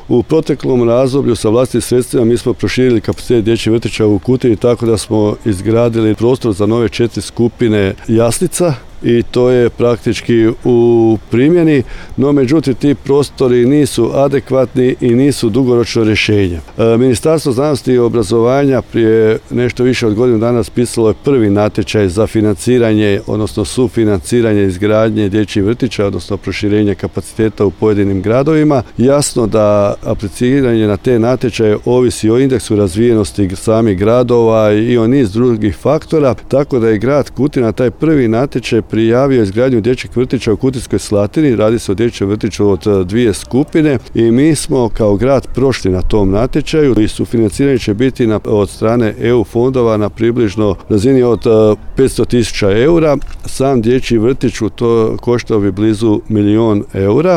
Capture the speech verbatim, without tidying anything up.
U proteklom razdoblju sa vlastitim sredstvima mi smo proširili kapacitet dječjih vrtića u Kutini tako da smo izgradili prostor za nove četiri skupine jaslica i to je praktički u primjeni, no međutim ti prostori nisu adekvatni i nisu dugoročno rješenje. E, Ministarstvo znanosti i obrazovanja prije nešto više od godinu dana raspisalo je prvi natječaj za financiranje, odnosno sufinanciranje izgradnje dječjih vrtića, odnosno proširenje kapaciteta u pojedinim gradovima. Jasno da apliciranje na te natječaje ovisi o indeksu razvijenosti samih gradova i o niz drugih faktora, tako da je grad Kutina taj prvi natječaj prijavio izgradnju dječjih vrtića u Kutinskoj Slatini. Radi se o dječjem vrtiću od dvije skupine i mi smo kao grad prošli na tom natječaju i sufinanciranje će biti na, od strane E U fondova na približno razini od petsto tisuća eura. Sam dječji vrtić u to koštao bi blizu milijon eura.